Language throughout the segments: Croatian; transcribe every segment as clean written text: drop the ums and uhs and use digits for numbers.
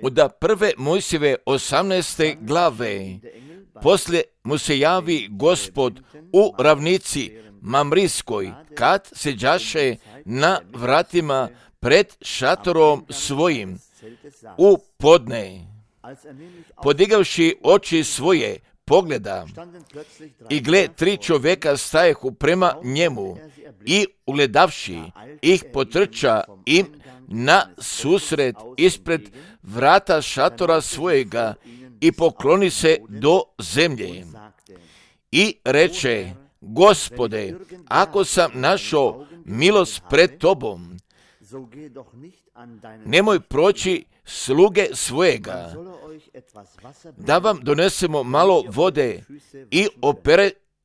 Od prve Mojsijeve 18. glave, poslije mu se javi Gospod u ravnici Mamrijskoj, kad seđaše na vratima pred šatorom svojim u podne. Podigavši oči svoje, pogleda, i gle, 3 čovjeka stajehu prema njemu, i ugledavši ih potrča im na susret ispred vrata šatora svojega i pokloni se do zemlje. I reče: Gospode, ako sam našao milost pred tobom, nemoj proći sluge svojega, da vam donesemo malo vode i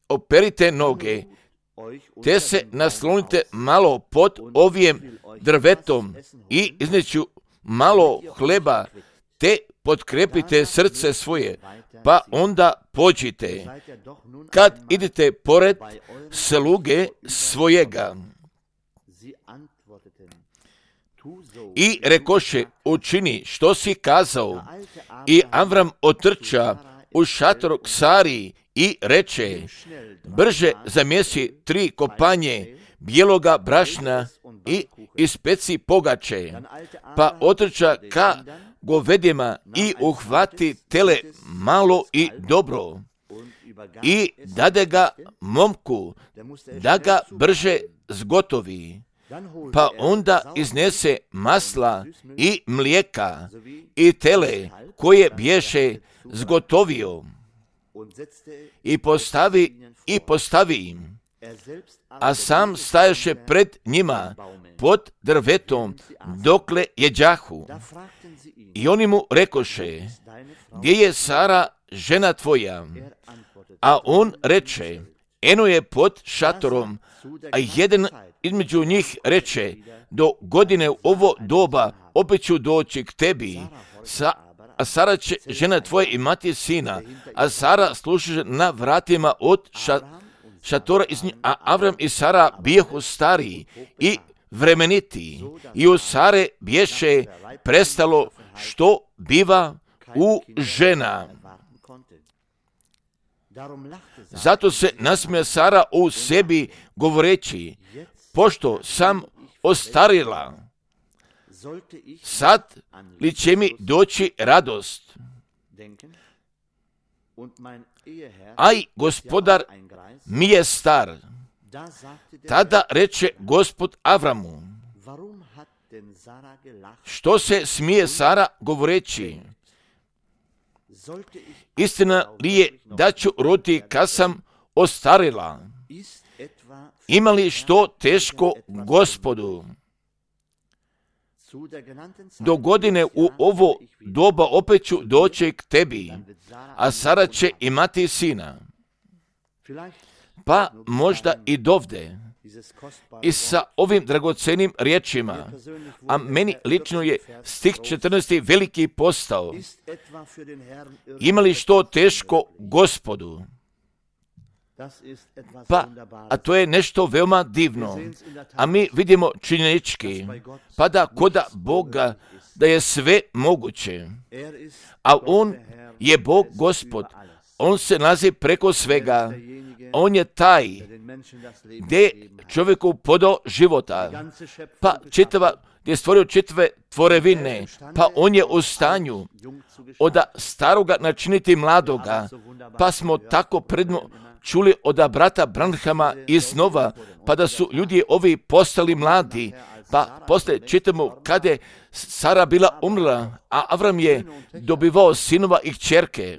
operite noge, te se naslonite malo pod ovim drvetom i izneću malo hleba, te potkrepite srce svoje, pa onda pođite, kad idete pored sluge svojega. I rekoše: učini što si kazao. I Avram otrča u šator k Sari i reče: brže zamjesi 3 kopanje bijeloga brašna i ispeci pogače. Pa otrča ka govedima i uhvati tele malo i dobro. I dade ga momku da ga brže zgotovi. Pa onda iznese masla i mlijeka i tele koje bješe zgotovio i postavi im, a sam stajaše pred njima pod drvetom dokle jeđahu. I oni mu rekoše: gdje je Sara, žena tvoja? A on reče: eno je pod šatorom. A jedan između njih reče: do godine u ovo doba opet ću doći k tebi, a Sara će, žena tvoja, imati sina, a Sara služi na vratima od šatora, a Avram i Sara bijehu stariji i vremeniti, i u Sare bješe prestalo što biva u žena. Zato se nasmija Sara u sebi, govoreći: pošto sam ostarila, sad li će mi doći radost? Aj, gospodar mi je star. Tada reče Gospod Avramu: što se smije Sara, govoreći: istina li je da ću roditi kad sam ostarila? Ima li što teško Gospodu? Do godine u ovo doba opet ću doći k tebi, a Sara će imati sina. Pa možda i dovde, i sa ovim dragocenim riječima, a meni lično je stih 14. veliki postao: ima li što teško Gospodu? Pa, a to je nešto veoma divno, a mi vidimo činjenički, pa da koda Boga da je sve moguće, a On je Bog Gospod, On se nalazi preko svega, On je taj gdje čovjeku podao života, pa gdje je stvorio čitave tvorevine, pa On je u stanju od staroga načiniti mladoga, pa smo tako predno čuli od brata Branhama iznova, pa da su ljudi ovi postali mladi, pa poslije čitamo kada je Sara bila umrla, a Avram je dobivao sinova i kćerke.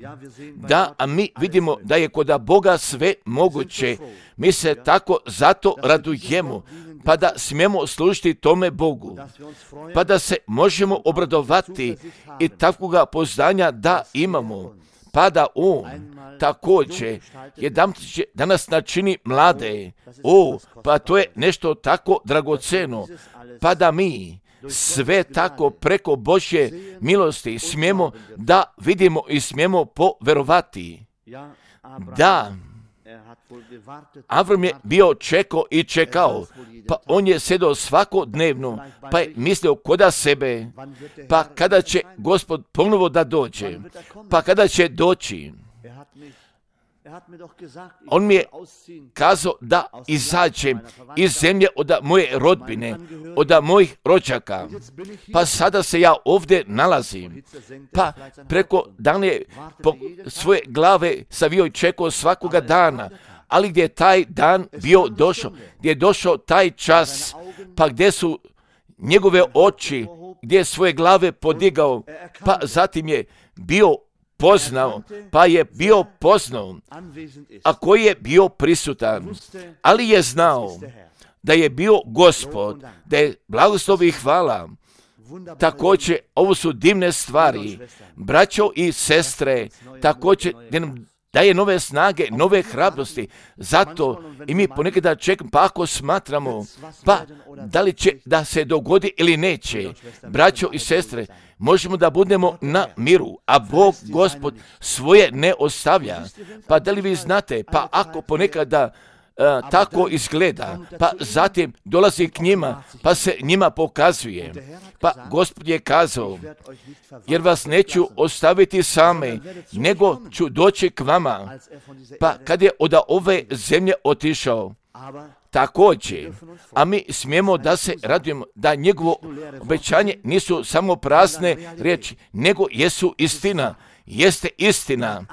Da, a mi vidimo da je kod Boga sve moguće. Mi se tako zato radujemo, pa da smijemo služiti tome Bogu, pa da se možemo obradovati i takvoga poznanja da imamo, pa da On također da nas načini mlade. Pa to je nešto tako dragoceno, pa da mi sve tako preko Božje milosti smijemo da vidimo i smijemo poverovati. Da, Avram je bio čekao i čekao, pa on je sedao svakodnevno, pa je mislio koda sebe, pa kada će Gospod ponovo da dođe, pa kada će doći. On mi je kazao da izađem iz zemlje od moje rodbine, od mojih rođaka, pa sada se ja ovdje nalazim, pa preko dana je svoje glave savio i čekao svakoga dana, ali gdje je taj dan bio došao, gdje je došao taj čas, pa gdje su njegove oči, gdje je svoje glave podigao, pa zatim je bio poznao, pa je bio poznao, a koji je bio prisutan, ali je znao da je bio Gospod, da je blagoslov i hvala. Također, ovo su divne stvari, braćo i sestre, također daje nove snage, nove hrabrosti. Zato i mi ponekada čekamo, pa ako smatramo, pa da li će da se dogodi ili neće, braćo i sestre, možemo da budemo na miru, a Bog, Gospod, svoje ne ostavlja. Pa da li vi znate, pa ako ponekada tako izgleda, pa zatim dolazi k njima, pa se njima pokazuje. Pa Gospod je kazao, jer vas neću ostaviti same, nego ću doći k vama. Pa kad je od ove zemlje otišao, također, a mi smijemo da se radujemo da njegovo obećanje nisu samo prazne riječi, nego jesu istina. Jeste istina.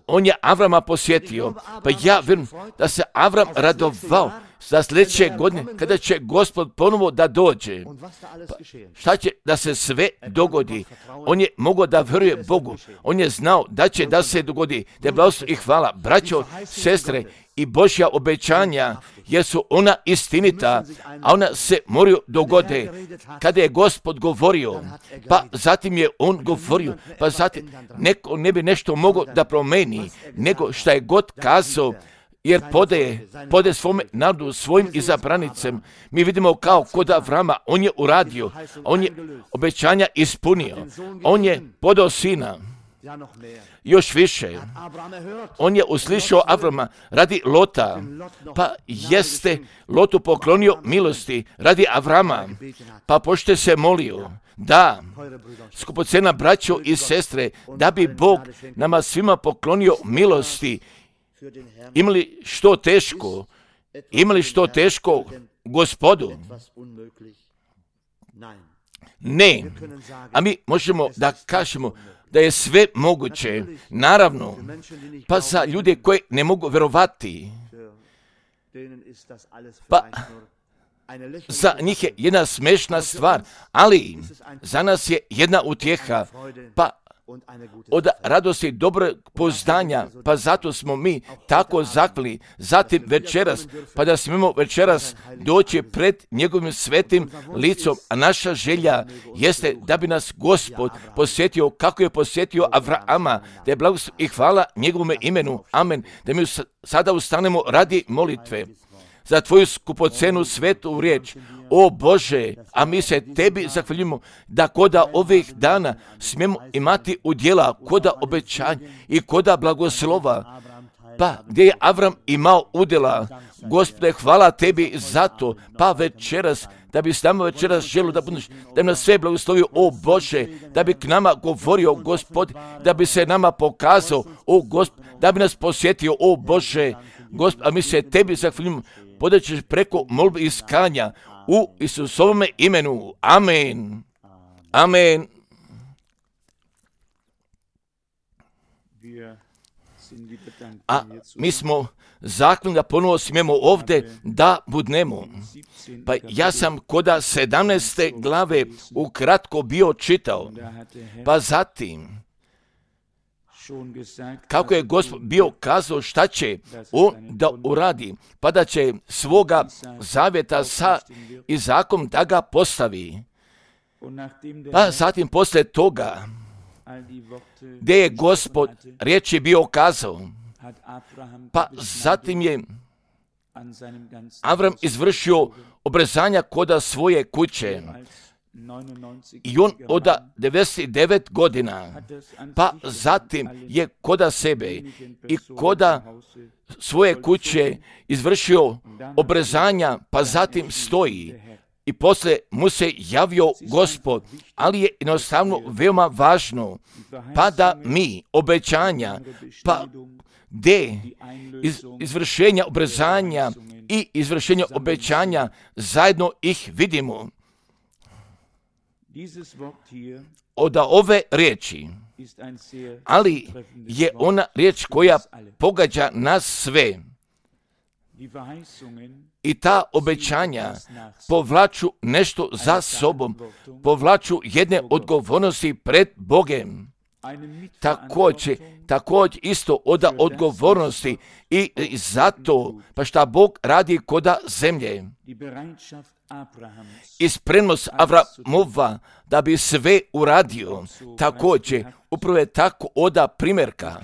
On je Avrama posjetio, pa ja vjerujem da se Avram radovao za sljedeće godine kada će Gospod ponovo da dođe. Pa šta će da se sve dogodi? On je mogao da vjeruje Bogu. On je znao da će da se dogodi. Te blagoslov i hvala, braćo, sestre, i Božja obećanja, jer su ona istinita, a ona se moraju dogode. Kada je Gospod govorio, pa zatim je on govorio, pa zatim neko ne bi nešto mogao da promeni, nego šta je god kazao, jer podaje svome narodu, svojim izabranicem. Mi vidimo kao kod Avrama, on je uradio, on je obećanja ispunio, on je podao sina. Još više, on je uslišao Avrama radi Lota, pa jeste Lotu poklonio milosti radi Avrama, pa pošto se molio, da, skupocena braćo i sestre, da bi Bog nama svima poklonio milosti, imali što teško Gospodu. Ne, a mi možemo da kažemo da je sve moguće, naravno, pa za ljude koji ne mogu vjerovati, pa za njih je jedna smešna stvar, ali za nas je jedna utjeha, pa od radosti dobrog poznanja, pa zato smo mi tako zakli, zatim večeras, pa da smemo večeras doći pred njegovim svetim licom, a naša želja jeste da bi nas Gospod posjetio kako je posjetio Avrama, da je blagoslov i hvala njegovome imenu, amen, da mi sada ustanemo radi molitve za tvoju skupocenu svetu riječ. O Bože, a mi se tebi zahvaljujemo da koda ovih dana smijemo imati udjela, koda obećanja i koda blagoslova. Pa gdje je Avram imao udjela, Gospode, hvala tebi za to, pa večeras, da bi s nama večeras želio da budeš, da bi nas sve blagoslovio, o Bože, da bi k nama govorio, Gospod, da bi se nama pokazao, o Gospod, da bi nas posjetio, o Bože, Gospod, a mi se tebi zahvaljujemo, podaćeš preko molbe i iskanja u Isusovome imenu. Amen. Amen. A mi smo zakljeni da ponovo smijemo ovdje da budnemo. Pa ja sam koda 17. glave ukratko bio čitao. Pa zatim, kako je Gospod bio kazao šta će on da uradi, pa da će svoga zavjeta sa Izakom da ga postavi. Pa zatim poslije toga, gdje je Gospod riječi bio kazao, pa zatim je Avram izvršio obrezanja koda svoje kuće, I on od 99 godina, pa zatim je koda sebe i koda svoje kuće izvršio obrezanja, pa zatim stoji. I poslije mu se javio Gospod, ali je jednostavno veoma važno, pa da mi obećanja, pa gdje izvršenja obrezanja i izvršenja obećanja zajedno ih vidimo. Od ove riječi, ali je ona riječ koja pogađa nas sve. I ta obećanja povlaču nešto za sobom, povlaču jedne odgovornosti pred Bogem. Također isto od odgovornosti i zato, pa šta Bog radi koda zemlje. I spremnost Avramova da bi sve uradio, također upravo je tako oda primjerka.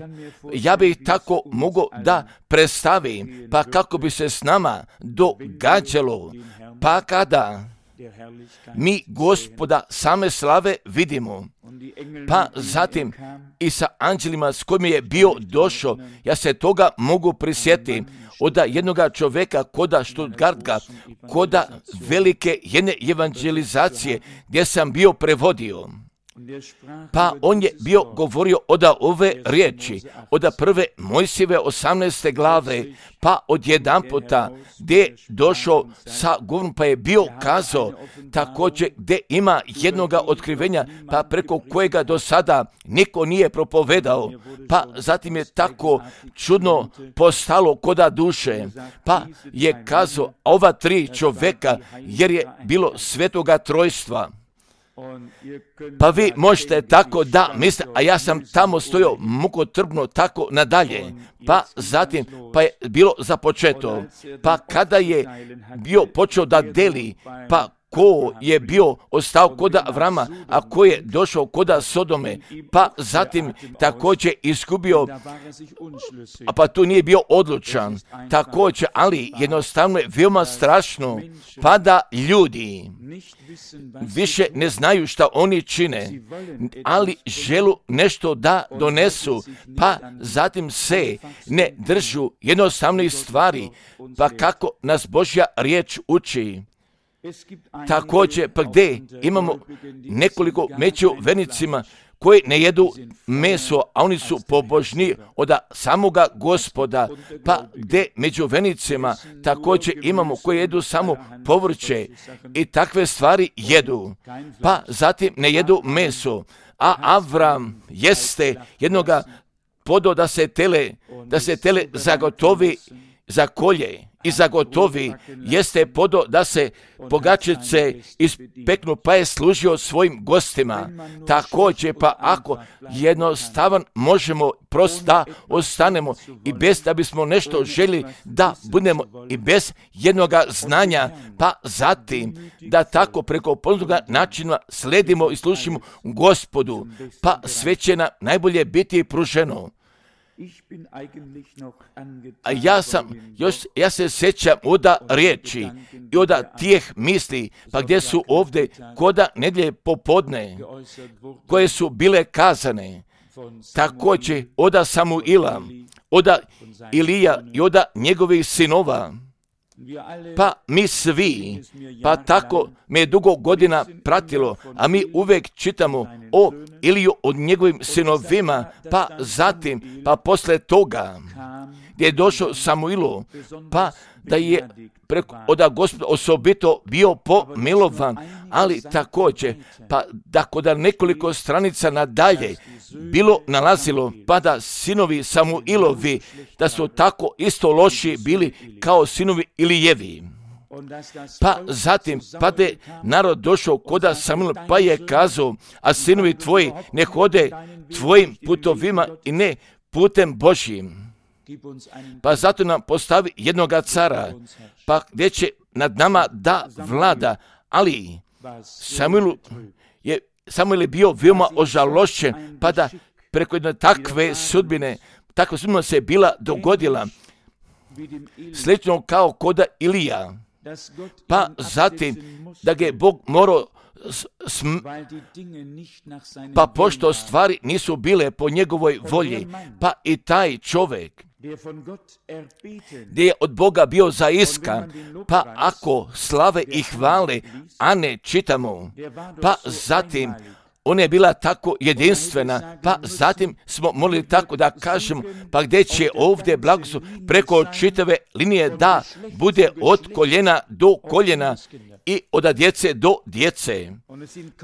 Ja bih tako mogao da predstavim, pa kako bi se s nama događalo, pa kada mi Gospoda same slave vidimo, pa zatim i sa anđelima s kojim je bio došao, ja se toga mogu prisjetiti od jednoga čovjeka koda Stuttgarta, koda velike jedne evangelizacije gdje sam bio prevodio. Pa on je bio govorio od ove riječi, od prve Mojsijeve 18. glave, pa od jedan puta gdje je došao sa govorom, pa je bio kazao također gdje ima jednoga otkrivenja, pa preko kojega do sada niko nije propovedao, pa zatim je tako čudno postalo koda duše, pa je kazao ova tri čovjeka, jer je bilo svetoga trojstva. Pa vi možete tako da mislite, a ja sam tamo stojao mukotrpno tako nadalje. Pa zatim, pa je bilo započeto. Pa kada je bio počeo da deli, pa ko je bio ostao koda Avrama, a ko je došao koda Sodome, pa zatim također izgubio, a pa tu nije bio odlučan, također, ali jednostavno je veoma strašno, pa da ljudi više ne znaju šta oni čine, ali želu nešto da donesu, pa zatim se ne držu jednostavnih stvari, pa kako nas Božja riječ uči. Također, pa gdje imamo nekoliko među vernicima koji ne jedu meso, a oni su pobožni od samoga Gospoda, pa gdje među vernicima također imamo koji jedu samo povrće i takve stvari jedu, pa zatim ne jedu meso, a Avram jeste jednoga podo da se tele zagotovi za kolje i zagotovi, jeste podo da se pogačice ispeknu, pa je služio svojim gostima. Također, pa ako jednostavan možemo prosto da ostanemo i bez da bismo nešto želi da budemo i bez jednoga znanja, pa zatim da tako preko poznatoga načina sledimo i slušimo Gospodu, pa sve će nam najbolje biti pruženo. A ja se sjećam od riječi i od tih misli, pa gdje su ovdje koda nedjelje popodne, koje su bile kazane, također od Samuila, od Ilija i od njegovih sinova. Pa mi svi, pa tako me je dugo godina pratilo, a mi uvijek čitamo o Iliju, od njegovim sinovima, pa zatim, pa posle toga, gdje je došao Samuilu, pa da je od Gospoda osobito bio pomilovan, ali također, pa da kod nekoliko stranica nadalje bilo nalazilo, pa da sinovi Samuilovi, da su tako isto loši bili kao sinovi Ilijevi. Pa zatim, pa da je narod došao koda Samuil, pa je kazao, a sinovi tvoji ne hode tvojim putovima i ne putem Božjim. Pa zato nam postavi jednoga cara, pa gdje će nad nama da vlada, ali Samuil je bio veoma ožalošćen, pa da preko jedne takva sudbina se bila dogodila, slično kao koda Ilija. Pa zatim da ga je Bog morao pa pošto stvari nisu bile po njegovoj volji, pa i taj čovjek gdje je od Boga bio zaiskan, pa ako slave i hvale, a ne čitamo, pa zatim ona je bila tako jedinstvena, pa zatim smo molili tako da kažemo, pa gdje će ovdje blagoslov preko čitave linije da bude od koljena do koljena i od djece do djece.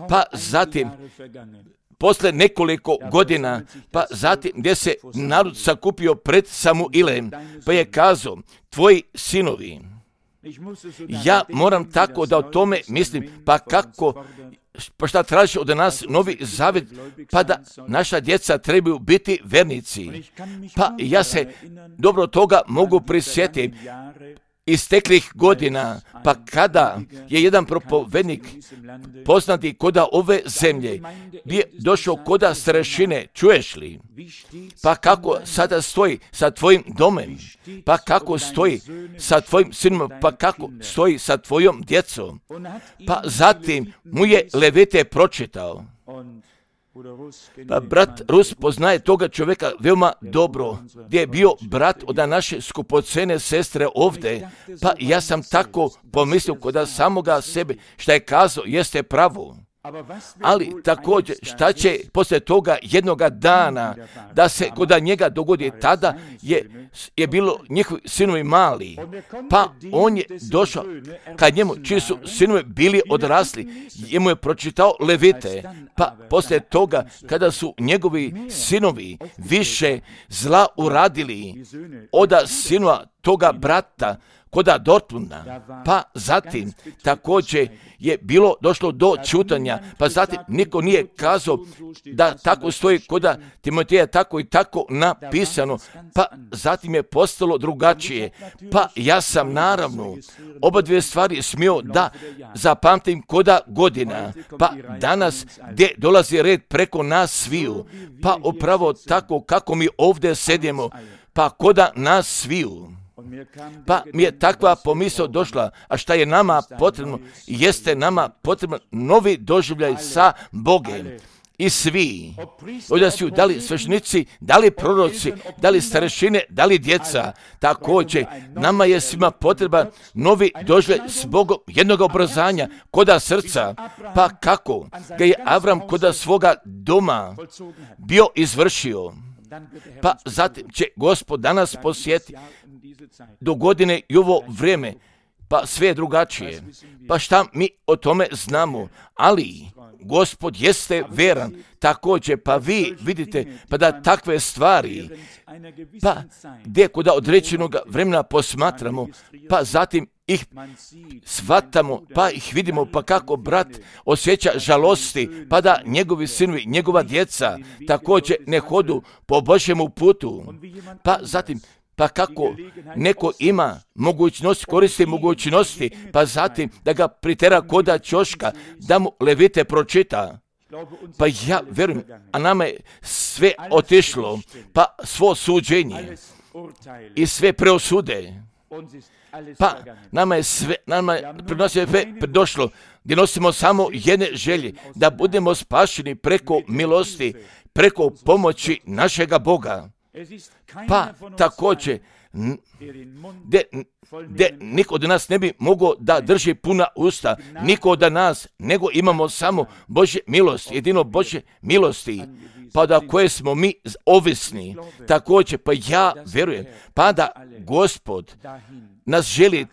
Pa zatim, posle nekoliko godina, pa zatim gdje se narod sakupio pred Samuilem, pa je kazao, tvoji sinovi, ja moram tako da o tome mislim, pa kako, pa šta traži od nas Novi Zavjet, pa da naša djeca trebaju biti vernici. Pa ja se dobro toga mogu prisjetiti isteklih godina, pa kada je jedan propovednik poznati koda ove zemlje bi došao koda starešine, čuješ li? Pa kako sada stoji sa tvojim domem? Pa kako stoji sa tvojim sinom? Pa kako stoji sa tvojom djecom? Pa zatim mu je Levite pročitao. Pa brat Rus poznaje toga čovjeka veoma dobro, gdje je bio brat od naše skupocene sestre ovdje, pa ja sam tako pomislio kod samoga sebe, šta je kazao jeste pravo. Ali također šta će poslije toga jednoga dana da se kod njega dogodi, tada je bilo njihovi sinovi mali, pa on je došao kad njemu čiji su sinovi bili odrasli, njemu je pročitao Levite, pa poslije toga kada su njegovi sinovi više zla uradili od sinova toga brata koda Dortmunda, pa zatim također je bilo došlo do čutanja, pa zatim niko nije kazao da tako stoji koda Timoteja tako i tako napisano, pa zatim je postalo drugačije, pa ja sam naravno oba dvije stvari smio da zapamtim koda godina, pa danas gdje dolazi red preko nas sviju, pa upravo tako kako mi ovdje sedimo, pa koda nas sviju. Pa mi je takva pomisao došla, a šta je nama potrebno, jeste nama potrebno novi doživljaj sa Bogom. I svi, ovdje su da li sveštenici, da li proroci, da li starešine, da li djeca, također nama je svima potreba novi doživljaj s Bogom jednog obrazanja, koda srca, pa kako ga je Avram koda svoga doma bio izvršio. Pa zatim će Gospod danas posjeti do godine i ovo vrijeme, pa sve je drugačije. Pa šta mi o tome znamo, ali Gospod jeste veran, također pa vi vidite pa da takve stvari, pa gdje kod određenog vremena posmatramo, pa zatim ih shvatamo, pa ih vidimo, pa kako brat osjeća žalosti, pa da njegovi sinovi, njegova djeca također ne hodu po Božjemu putu, pa zatim pa kako neko ima mogućnost, koristi mogućnosti, pa zatim da ga pritera koda ćoška, da mu Levite pročita. Pa ja verujem, a nama je sve otišlo, pa svo suđenje i sve preosude. Pa nama je sve došlo, gdje nosimo samo jedne želje, da budemo spašeni preko milosti, preko pomoći našega Boga. Pa također, gdje niko od nas ne bi mogao da drži puna usta, niko od nas, nego imamo samo Božje milosti, jedino Božje milosti, pa da koje smo mi ovisni, također, pa ja verujem, pa da Gospod nas želi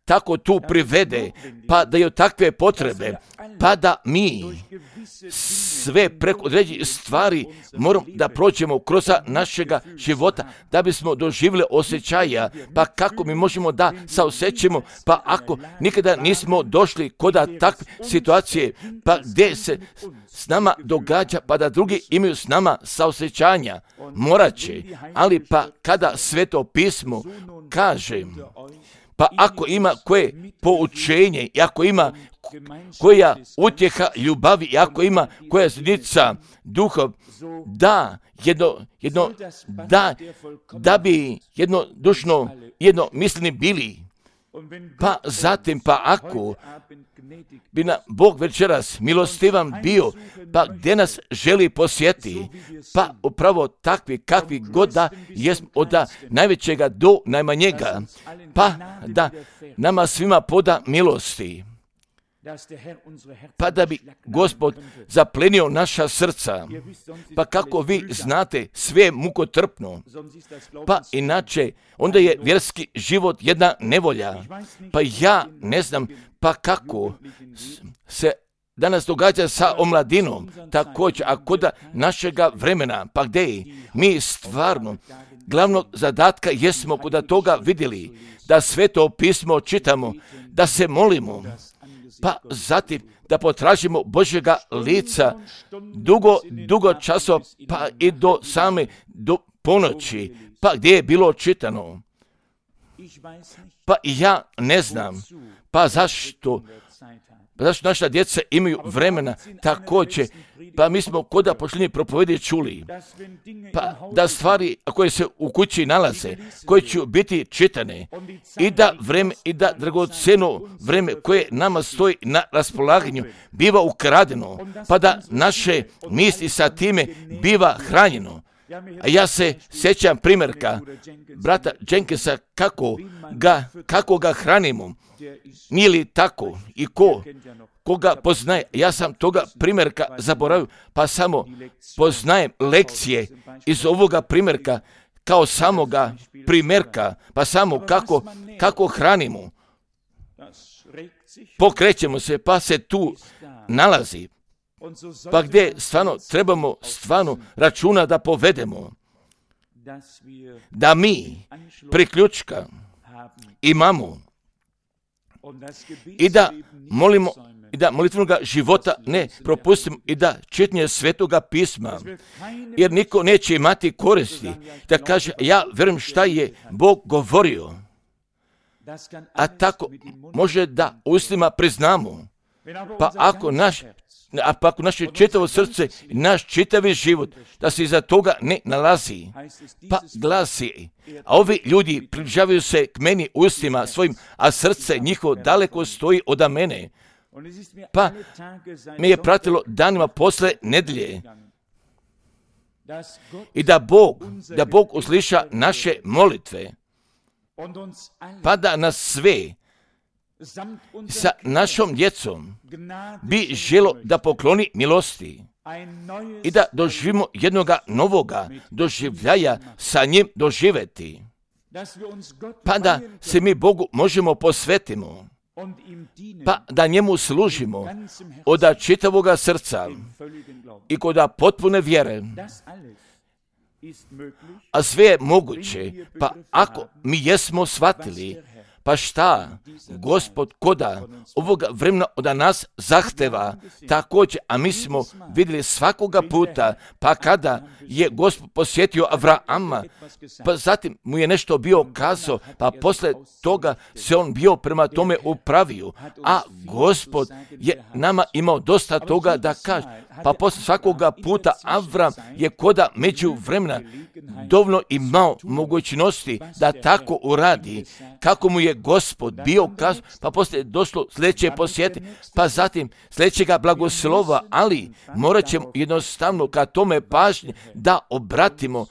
tako tu privede, pa da je takve potrebe, pa da mi sve preko određenih stvari moramo da prođemo kroz našega života, da bismo doživjeli osjećaja, pa kako mi možemo da saosjećamo, pa ako nikada nismo došli kod takve situacije, pa gdje se s nama događa, pa da drugi imaju s nama saosjećanja, morat će, ali pa kada Sveto pismo kaže, pa ako ima koje poučenje, i ako ima koja utjeha ljubavi, i ako ima koja znica duha, da bi jednodušno, jednomisleni bili, Pa zatim, pa ako bi nam Bog večeras milostivan bio, pa gdje nas želi posjeti, pa upravo takvi kakvi god da jesmo, od najvećega do najmanjega, pa da nama svima poda milosti, pa da bi Gospod zaplenio naša srca. Pa kako vi znate, sve je mukotrpno, pa inače onda je vjerski život jedna nevolja. Pa ja ne znam pa kako se danas događa sa omladinom, također, a kod našega vremena, pa gdje je? Mi stvarno glavnog zadatka jesmo kod toga vidjeli, da Sveto pismo čitamo, da se molimo, pa zatim da potražimo Božjega lica dugo časova, pa i do ponoći, pa gdje je bilo čitano. Pa ja ne znam, pa zašto naša djeca imaju vremena također, pa mi smo kod posljednje propovedi čuli, pa da stvari koje se u kući nalaze, koje će biti čitane, i da dragocjeno vreme koje nama stoji na raspolaganju biva ukradeno, pa da naše misli sa time biva hranjeno. A ja se sjećam primjerka brata Jenkinsa kako ga hranimo. Nije li tako? I koga poznaje? Ja sam toga primjerka zaboravio, pa samo poznajem lekcije iz ovoga primjerka kao samoga primjerka, pa samo kako hranimo. Pokrećemo se, pa se tu nalazi. Pa gdje trebamo računa da povedemo, da mi priključka imamo i da molimo, i da molitvenoga života ne propustimo, i da čitanje Svetoga pisma, jer niko neće imati koristi da kaže ja vjerujem šta je Bog govorio, a tako može da ustima priznamo. Pa ako naše čitavo srce, naš čitavi život, da se iza toga ne nalazi, pa glasi, a ovi ljudi približavaju se k meni ustima svojim, a srce njihovo daleko stoji od mene. Pa me je pratilo danima posle nedjelje. I da Bog usliša naše molitve, pa da nas sve sa našom djecom bi želo da pokloni milosti i da doživimo jednoga novoga doživljaja sa njim doživjeti, pa da se mi Bogu možemo posvetimo, pa da njemu služimo od čitavoga srca i kod potpune vjere. A sve je moguće, pa ako mi jesmo shvatili, pa šta Gospod koda ovoga vremena od nas zahteva također, a mi smo vidjeli svakoga puta, pa kada je Gospod posjetio Avrama, pa zatim mu je nešto bio kazao, pa posle toga se on bio prema tome upravio, a Gospod je nama imao dosta toga da kaže, pa posle svakoga puta Avram je koda među vremena dovoljno imao mogućnosti da tako uradi, kako mu je Gospod bio kazao, pa poslije došlo sljedeće posjete, pa zatim sljedećega blagoslova, ali morat ćemo jednostavno ka tome pažnje da obratimo.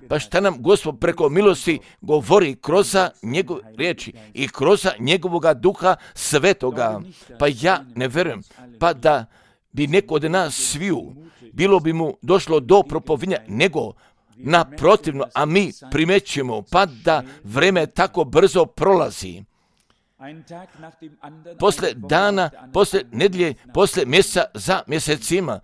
Pa šta nam Gospod preko milosti govori kroz njegove riječi i kroz njegovoga Duha Svetoga. Pa ja ne vjerujem, pa da bi neko od nas sviju bilo bi mu došlo do propovinja, nego naprotivno, a mi primećujemo, pa da vreme tako brzo prolazi. Posle dana, posle nedjelje, posle mjeseca za mjesecima,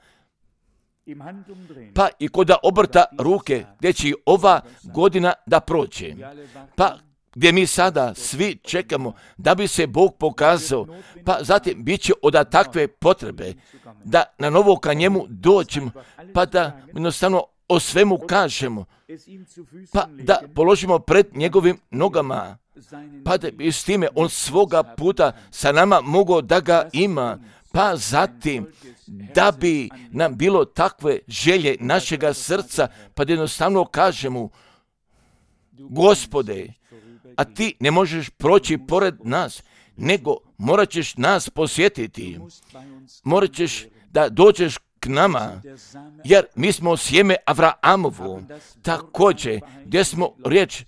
pa i kod obrta ruke, gdje će ova godina da prođe. Pa gdje mi sada svi čekamo da bi se Bog pokazao, pa zatim bit će od takve potrebe da na novo ka njemu dođemo, pa da jednostavno o svemu kažemo, pa da položimo pred njegovim nogama, pa da bi s time on svoga puta sa nama mogao da ga ima, pa zatim da bi nam bilo takve želje našega srca, pa da jednostavno kažemo, Gospode, a ti ne možeš proći pored nas, nego morat ćeš nas posjetiti. Morat ćeš da dođeš k nama, jer mi smo sjeme Avraamovo, također gdje smo riječ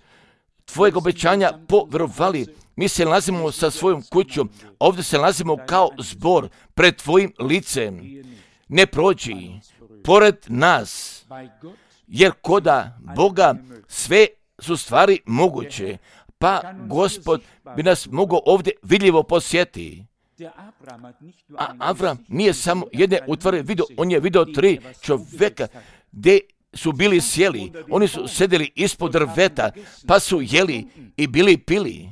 tvojeg obećanja povjerovali. Mi se nalazimo sa svojom kućom, ovdje se nalazimo kao zbor pred tvojim licem. Ne prođi pored nas, jer koda Boga sve su stvari moguće, pa Gospod bi nas mogao ovdje vidljivo posjetiti. A Avram nije samo jedne utvare vidio, on je vidio 3 čovjeka gdje su bili sjeli, oni su sedeli ispod drveta, pa su jeli i bili pili,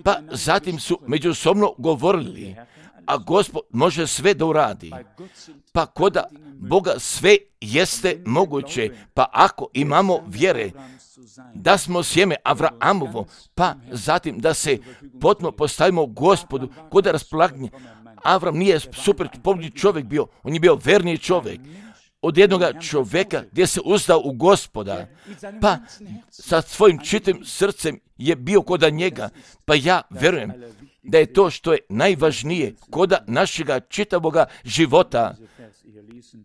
pa zatim su međusobno govorili, a Gospod može sve da uradi. Pa koda Boga sve jeste moguće, pa ako imamo vjere da smo sjeme Avraamovo, pa zatim da se potpuno postavimo Gospodu, koda raspolaganje. Avram nije super pobjedni čovjek bio, on je bio verni čovjek. Od jednoga čovjeka gdje se uzdao u Gospoda, pa sa svojim čitim srcem je bio koda njega, pa ja vjerujem da je to što je najvažnije koda našega čitavoga života.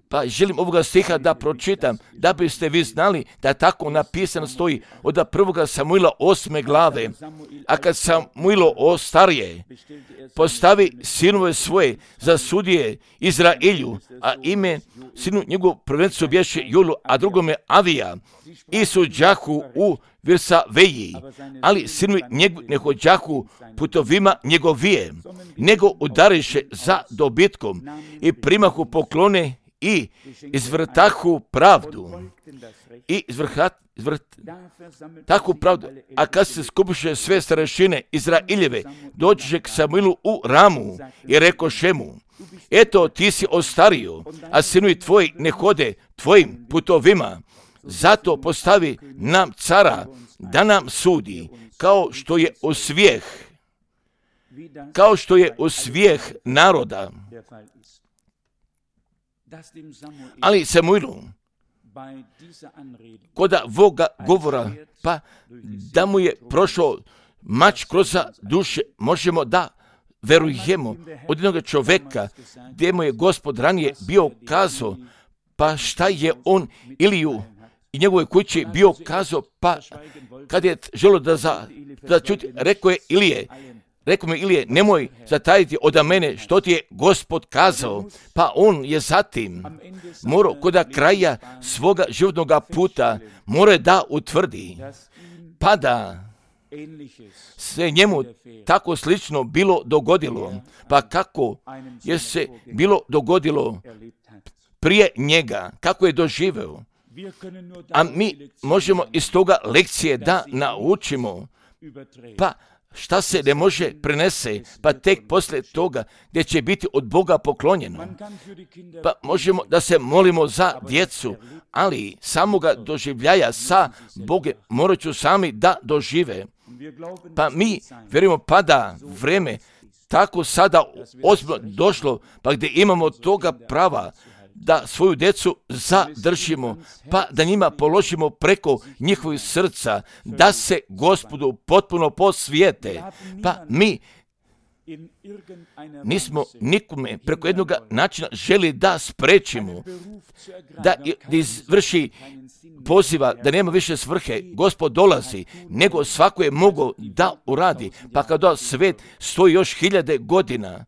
Pa želim ovoga stiha da pročitam, da biste vi znali da tako napisano stoji od 1. Samuila 8. glave. A kad Samuilo ostarije, postavi sinove svoje za sudije Izraelju, a ime sinu njegov prvencu bješe Julu, a drugome Avija, i suđahu u Virsaveji, ali sinovi njegovi ne hođahu putovima njegovije, nego udariše za dobitkom i primahu poklone i izvrtahu pravdu. I takvu pravdu. A kad se skupiše sve starešine Izraeljeve, dođe k Samuilu u Ramu i rekoše mu: eto, ti si ostario, a sinovi tvoji ne hode tvojim putovima. Zato postavi nam cara da nam sudi, kao što je usvijeh naroda. Ali Samuilu, koda voga govora, pa da mu je prošao mač kroz duše, možemo da verujemo od jednog čovjeka gdje mu je Gospod ranije bio kazao, pa šta je on Iliju i njegove kući bio kazao, pa kad je želio da čuti, rekao mu Ilije, nemoj zatajiti od mene što ti je Gospod kazao, pa on je zatim morao kod kraja svoga životnog puta mora da utvrdi, pa da se njemu tako slično bilo dogodilo, pa kako je se bilo dogodilo prije njega, kako je doživeo. A mi možemo iz toga lekcije da naučimo, pa šta se ne može prenese, pa tek poslije toga gdje će biti od Boga poklonjeno. Pa možemo da se molimo za djecu, ali samoga doživljaja sa Bogom morat ću sami da dožive. Pa mi vjerujemo pa da vreme tako sada ozbiljno došlo, pa gdje imamo toga prava da svoju djecu zadržimo, pa da njima položimo preko njihovih srca, da se Gospodu potpuno posvijete. Pa mi nismo nikome preko jednog načina želi da sprečimo, da izvrši poziva, da nema više svrhe, Gospod dolazi, nego svako je mogao da uradi, pa kada svet stoji još 1000 godina,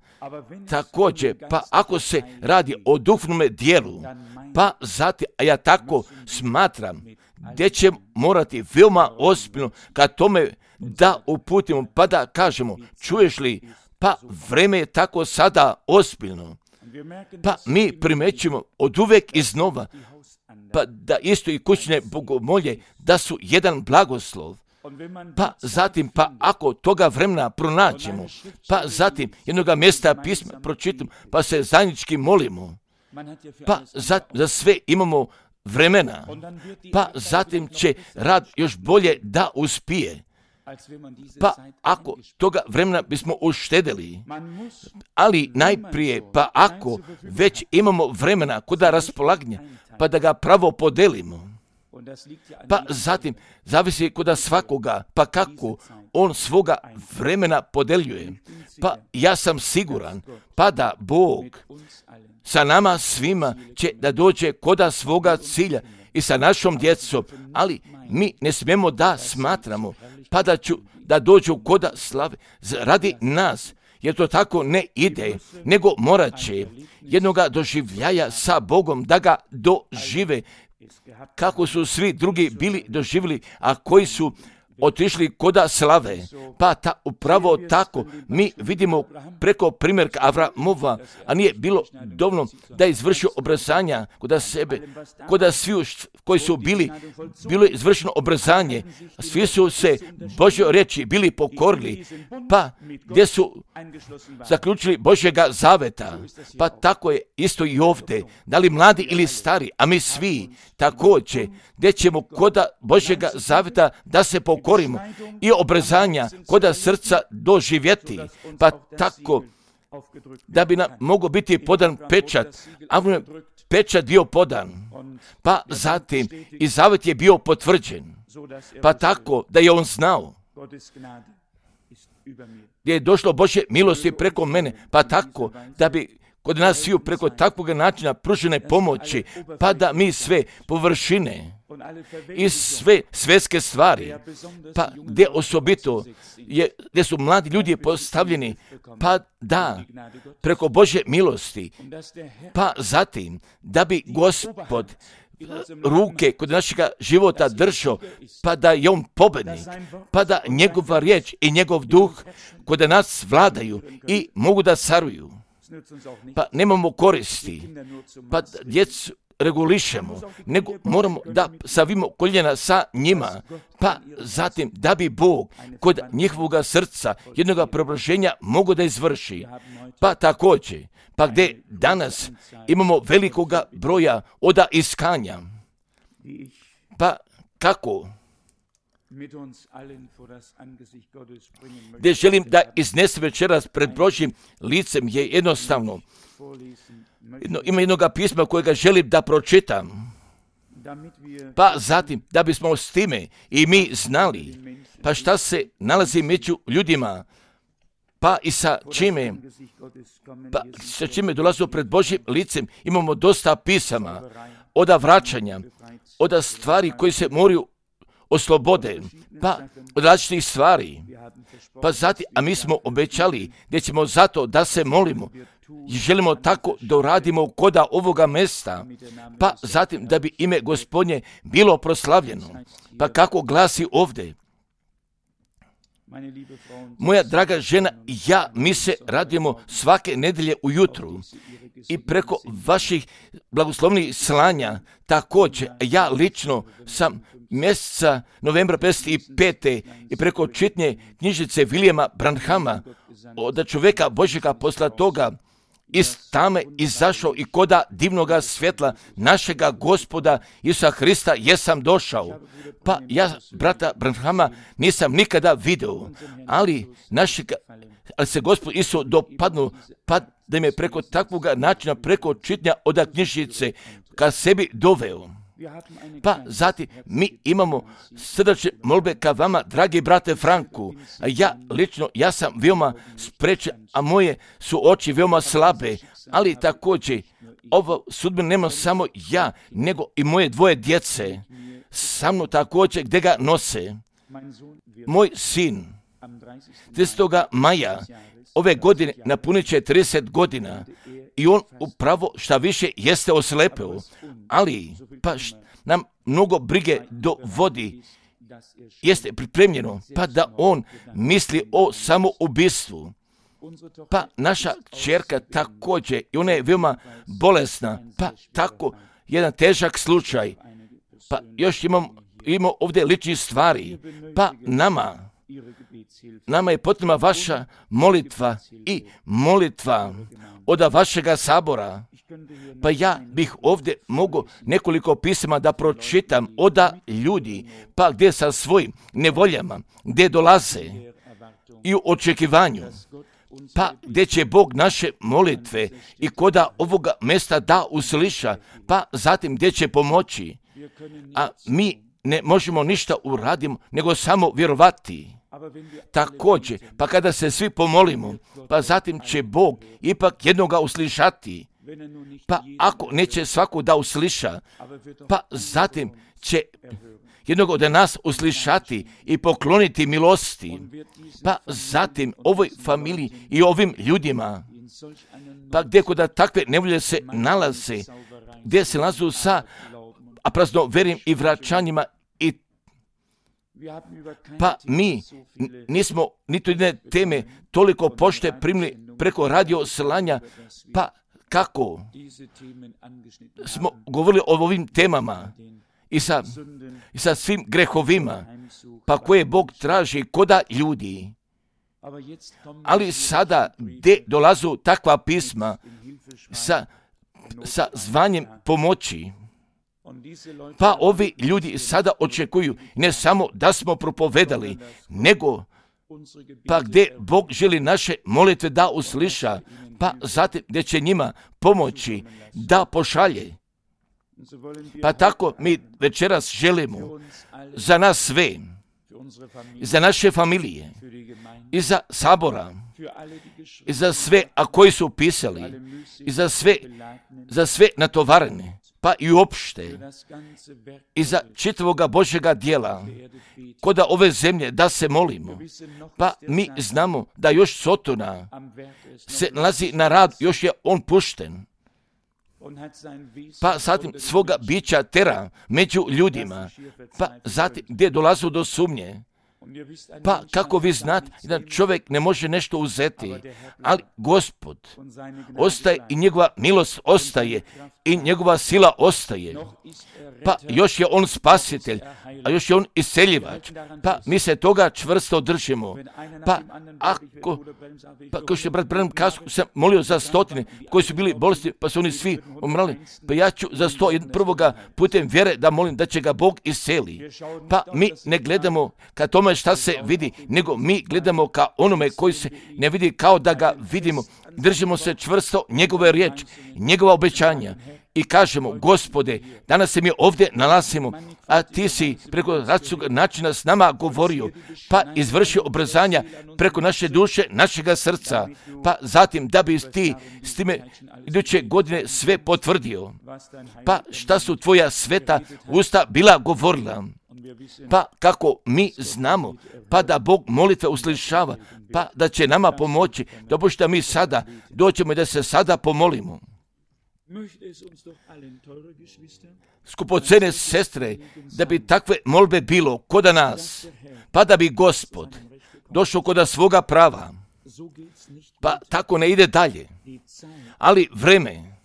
također, pa ako se radi o duhovnome dijelu, pa zatim, a ja tako smatram, gdje će morati veoma ozbiljno ka tome da uputimo, pa da kažemo, čuješ li, pa vreme je tako sada ozbiljno. Pa mi primećujemo od uvek iznova, pa da isto i kućne bogomolje, da su jedan blagoslov. Pa zatim, pa ako toga vremena pronađemo, pa zatim jednoga mjesta pisma pročitamo, pa se zajednički molimo, pa za sve imamo vremena, pa zatim će rad još bolje da uspije. Pa ako toga vremena bismo uštedeli, ali najprije, pa ako već imamo vremena kod raspolaganja, pa da ga pravo podelimo. Pa zatim, zavisi kod svakoga, pa kako on svoga vremena podeljuje. Pa ja sam siguran, pa da Bog sa nama svima će da dođe koda svoga cilja i sa našom djecom, ali mi ne smijemo da smatramo, pa da dođu koda slave radi nas, jer to tako ne ide, nego morat će jednoga doživljaja sa Bogom da ga dožive, kako su svi drugi bili doživjeli, a koji su otišli koda slave. Pa upravo tako mi vidimo preko primjerka Avramova, a nije bilo dovoljno da je izvršio obrazanja koda sebe, koda svi koji su bilo je izvršeno obrazanje, svi su se Božjoj riječi bili pokorili, pa gdje su zaključili Božjega zaveta. Pa tako je isto i ovdje, da li mladi ili stari, a mi svi također, gdje ćemo koda Božjega zaveta da se pokorimo i obrezanja koda srca doživjeti, pa tako da bi nam mogao biti podan pečat, a pečat bio podan, pa zatim i zavet je bio potvrđen, pa tako da je on znao gdje je došlo Božje milosti preko mene, pa tako da bi kod nas sviju preko takvog načina pružene pomoći, pa da mi sve površine i sve svjetske stvari, pa gdje osobito gdje su mladi ljudi postavljeni, pa da preko Božje milosti, pa zatim da bi Gospod ruke kod našega života držao, pa da je on pobednik, pa da njegova riječ i njegov duh kod nas vladaju i mogu da caruju. Pa nemamo koristi, pa djecu regulišemo, nego moramo da savimo koljena sa njima, pa zatim da bi Bog kod njihovoga srca jednoga preobraženja mogo da izvrši. Pa također, pa gdje danas imamo velikoga broja oda iskanja, pa kako? Gdje želim da iznesem večeras pred Božjim licem je jednostavno. Ima jednoga pisma kojega želim da pročitam. Pa zatim, da bismo s time i mi znali, pa šta se nalazi među ljudima, pa i sa čime dolazimo pred Božjim licem, imamo dosta pisama, oda vraćanja, oda stvari koji se moraju oslobode, pa od različitih stvari, pa zatim, a mi smo obećali gdje ćemo zato da se molimo i želimo tako da uradimo koda ovoga mesta, pa zatim da bi ime Gospodnje bilo proslavljeno. Pa kako glasi ovdje? Moja draga žena i ja, mi se radimo svake nedelje ujutru i preko vaših blagoslovnih slanja također, ja lično sam mjeseca novembra 55. i preko čitnje knjižice Williama Branhama od čovjeka Božjega posla toga iz tame izašao i koda divnoga svjetla našega Gospoda Isusa Hrista jesam došao. Pa ja brata Branhama nisam nikada video, ali se Gospod Isus dopadnu, pa da me preko takvog načina, preko čitnja od knjižice ka sebi doveo. Pa zatim mi imamo srdačne molbe ka vama, dragi brate Franku. Ja sam veoma sprečen, a moje su oči veoma slabe, ali također ovo sudbinu nema samo ja, nego i moje dvoje djece. Sa mnom također gdje ga nose. Moj sin 30. maja ove godine napunit će 30 godina i on upravo šta više jeste oslepeo, ali pa nam mnogo brige dovodi, jeste pripremljeno, pa da on misli o samoubistvu. Pa naša kćerka također, i ona je veoma bolesna, pa tako jedan težak slučaj. Pa još imamo ovdje ličnih stvari, pa nama je potrebna vaša molitva i molitva od vašega sabora. Pa ja bih ovdje mogao nekoliko pisama da pročitam od ljudi, pa gdje sa svojim nevoljama, gdje dolaze i u očekivanju, pa gdje će Bog naše molitve i koda ovoga mjesta da usliša, pa zatim gdje će pomoći. a mi ne možemo ništa uraditi, nego samo vjerovati. Također, pa kada se svi pomolimo, pa zatim će Bog ipak jednoga uslišati. Pa ako neće svako da usliša, pa zatim će jednog od nas uslišati i pokloniti milosti. Pa zatim ovoj familiji i ovim ljudima, pa gdje kod takve nevolje se nalaze, gdje se nalazu sa praznoverim i vraćanjima, pa mi nismo niti jedne teme toliko pošte primili preko radio slanja, pa kako smo govorili o ovim temama i sa svim grehovima, pa koje Bog traži koda ljudi. Ali sada gdje dolazu takva pisma sa zvanjem pomoći, pa ovi ljudi sada očekuju ne samo da smo propovedali, nego pa gdje Bog želi naše molitve da usliša, pa zatim gdje će njima pomoći da pošalje. Pa tako mi večeras želimo za nas sve, za naše familije, i za sabora, i za sve, a koji su pisali, i za sve natovarene, pa i uopšte, i za čitavoga Božjega djela, koda ove zemlje da se molimo. Pa mi znamo da još Sotona se nalazi na rad, još je on pušten. Pa zatim svoga bića tera među ljudima, pa zatim gdje dolazu do sumnje. Pa kako vi znate da čovjek ne može nešto uzeti, ali Gospod ostaje i njegova milost ostaje i njegova sila ostaje. Pa još je on spasitelj, a još je on isceljivač. Pa mi se toga čvrsto držimo. Pa kao što je brat Branham kazao, sam molio za 100 koji su bili bolesti, pa su oni svi umrali. Pa ja ću za 101 putem vjere da molim da će ga Bog isceli. Pa mi ne gledamo ka tome šta se vidi, nego mi gledamo ka onome koji se ne vidi kao da ga vidimo. Držimo se čvrsto njegove riječi, njegova obećanja i kažemo, Gospode, danas se mi ovdje nalazimo, a ti si preko različitog načina s nama govorio, pa izvršio obrzanja preko naše duše, našega srca, pa zatim da bi ti s time iduće godine sve potvrdio. Pa šta su tvoja sveta usta bila govorila? Pa kako mi znamo, pa da Bog molitve uslišava, pa da će nama pomoći, da mi sada doćemo i da se sada pomolimo. Skupocene sestre, da bi takve molbe bilo koda nas, pa da bi Gospod došao koda svoga prava, pa tako ne ide dalje, ali vreme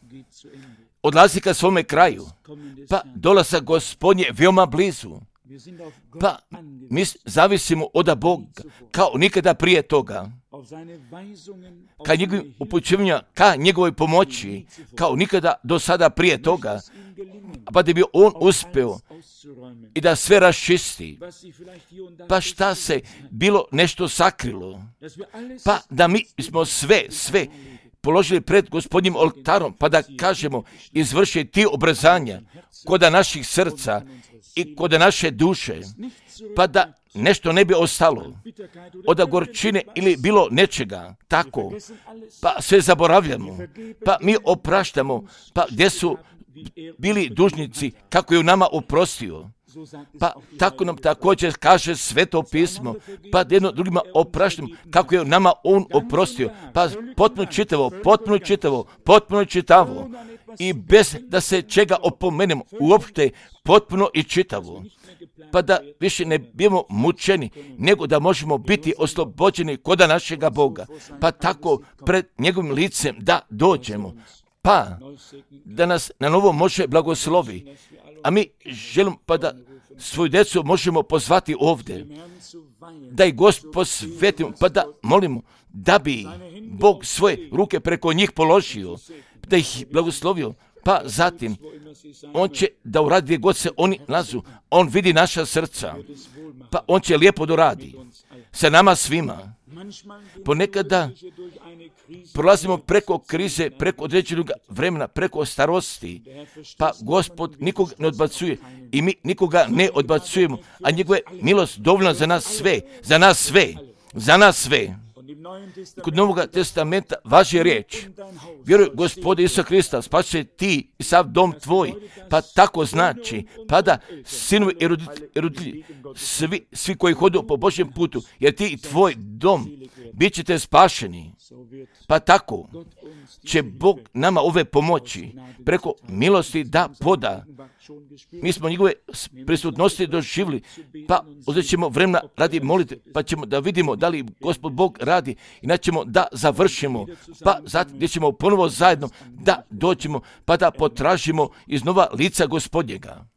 odlazi ka svome kraju, pa dolazak Gospodnje veoma blizu. Pa mi zavisimo od Boga kao nikada prije toga, ka njegovim upućivanjima, ka njegovoj pomoći, kao nikada do sada prije toga, pa da bi on uspeo i da sve raščisti. Pa šta se bilo nešto sakrilo, pa da mi smo sve položili pred Gospodnjim oltarom, pa da kažemo, izvrši ti obrzanja koda naših srca i kod naše duše, pa da nešto ne bi ostalo od gorčine ili bilo nečega, tako, pa sve zaboravljamo, pa mi opraštamo, pa gdje su bili dužnici, kako je u nama oprostio, pa tako nam također kaže Sveto pismo, pa jedno drugima opraštamo, kako je u nama on oprostio, pa potpuno čitavo, i bez da se čega opomenemo, uopšte potpuno i čitavo, pa da više ne bimo mučeni, nego da možemo biti oslobođeni koda našega Boga, pa tako pred njegovim licem da dođemo, pa da nas na novo može blagoslovi, a mi želimo pa da svoju djecu možemo pozvati ovdje, da ih Gospod posvetimo, pa da molimo da bi Bog svoje ruke preko njih položio, da ih blagoslovio, pa zatim on će da uradi gdje god se oni nalazu, on vidi naša srca, pa on će lijepo doradi sa nama svima. Ponekada prolazimo preko krize, preko određenog vremena, preko starosti, pa Gospod nikog ne odbacuje i mi nikoga ne odbacujemo, a njegova je milost dovoljna za nas sve, za nas sve, za nas sve. Kod Novoga testamenta važi riječ: vjeruj Gospode Isusa Krista, spašće ti i sav dom tvoj. Pa tako znači, pa da sinovi i roditelji, svi koji hodu po Božjem putu, jer ti i tvoj dom bit ćete spašeni. Pa tako će Bog nama ove pomoći preko milosti da poda. Mi smo njegove prisutnosti doživjeli, pa uzet ćemo vremena radi molite, pa ćemo da vidimo da li Gospod Bog radi i ćemo da završimo, pa zatim gdje ćemo ponovo zajedno da dođemo, pa da potražimo iznova lica Gospodnjega.